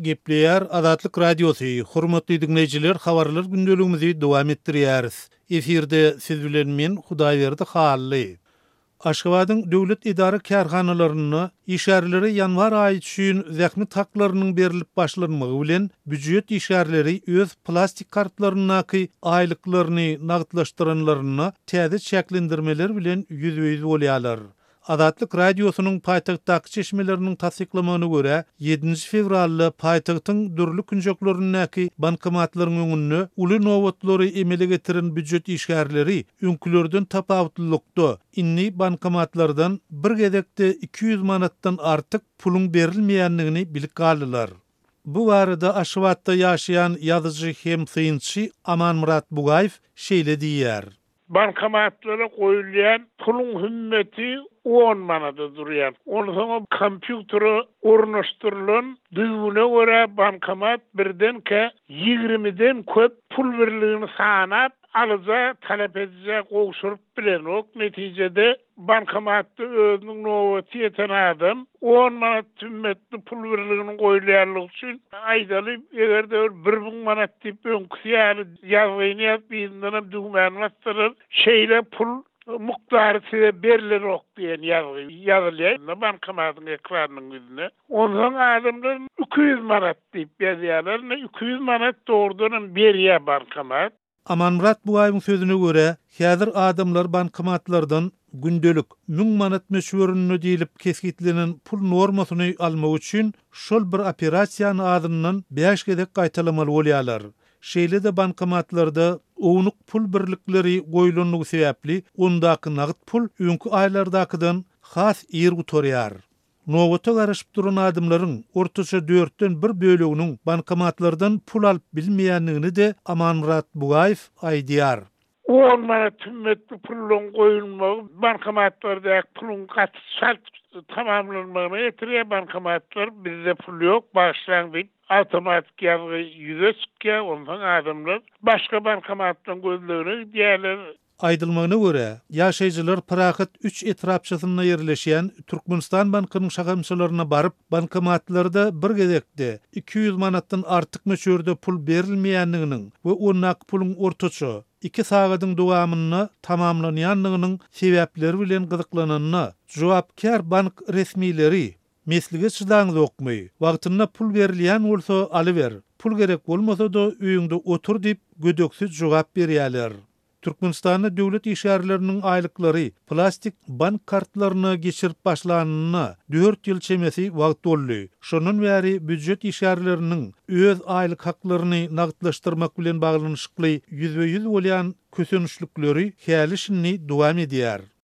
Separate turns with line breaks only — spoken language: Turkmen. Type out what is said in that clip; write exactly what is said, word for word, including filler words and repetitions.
Gepleýär Azatlyk Radiosy, Hormatly diňleýjiler, habarlar gündeligimizi dowam etdirýäris. Efirde siz bilen men Hudaýberdi Hally. Aşgabadyň döwlet edara-kärhanalarynda işgärlere ýanwar aýy üçin zähmet haklarynyň berlip başlanmagy bilen býujet işgärleri öz plastik kartlaryndaky aýlyklaryny nagtlaşdyranlarynda täze çäklendirmeler bilen ýüzbe-ýüz bolýarlar. Azatlyk Radiosynyň paýtagtdaky çeşmeleriniň tassyklamagyna görä, ýedinji fewralda paýtagtyň dürli künjeklerindäki bankomatlaryň öňünde uly nobatlary emele getiren býujet işgärleri öňkülerden tapawutlylykda indi bankomatlardan bir gezekde iki ýüz manatdan artyk puluň berilmeýändigini bilip galdylar. Bu barada Aşgabatda ýaşaýan ýazyjy hem synçy Amanmyrat Bugaýew şeýle diýýär.
Bankomatlara goýulýan puluň hümmeti on manada durýar. Onsoň kompýutere ornaşdyrylan düzgüne görä bankomat birdenkä ýigrimiden köp pul birligini sanap, alyja, talap edijä gowşuryp bilenok. Netijede bankomatda özüniň nobaty ýeten adam on manat hümmetli pul birliginiň goýulýanlygy üçin aýdaly, eger-de bir müň manat diýip öňküsi ýaly ýazgyny ýazyp, yzyndanam düwmäni basdyrar, şeýle pul mukdary size berilenok diýen ýazgy ýazylýar bankomatyň ekranynyň ýüzüne. Onsoň adamlar iki ýüz manat diýip ýazýarlar. Ine iki ýüz manat dogrudanam berýär bankomat.
Amanmyrat Bugaýewiň sözüne görä, häzir adamlar bankomatlardan gündelik müň manat möçberinde diýlip kesgitlenen pul normasyny almak üçin şol bir operasiýany azyndan bäş gezek gaýtalamaly bolýarlar. Şeýle-de bankomatlarda ownuk pul birlikleri goýlanlygy sebäpli ondaky nagt pul öňki aýlardakydan has ir gutarýar. Nobata garaşyp duran adamlaryň ortaça dörtden bir böleginiň bankomatlardan pul alyp bilmeýändigini-de Amanmyrat Bugaýew aýdýar.
On manat hümmetli puluň goýulmagy bankomatlardaky puluň gaty çalt tamamlanmagyna getirýär. Bankomatlar bizde pul ýok, bagyşlaň diýip awtomatik ýazgy ýüze çykýar. Onsoň adamlar başga bankomatlaryň gözlegine gidýärler.
Aýdylmagyna görä, ýaşaýjylar Parahat üç etrapçasynda ýerleşýän Türkmenistan bankynyň şahamçalaryna baryp, bankomatlarda bir gezekde iki ýüz manatdan artyk möçberde pul berilmeýändiginiň we ondaky puluň ortaça iki sagadyň dowamynda tamamlanýandygynyň sebäpleri bilen gyzyklananda, jogapkär bank resmileri meslige çydaňzokmy, wagtynda pul berilýän bolsa alyber, pul gerek bolmasa-da öýüňde otur diýip gödeksiz jogap berýärler. Türkmenistanda döwlet işgärleriniň aýlyklary plastik bank kartlaryna geçirip başlanyna dört ýyl çemesi wagt boldy. Şondan bäri býujet işgärleriniň öz aýlyk haklaryny nagtlaşdyrmak bilen baglanyşykly ýüzbe-ýüz bolýan kösençlikleri häli şindi dowam edýär.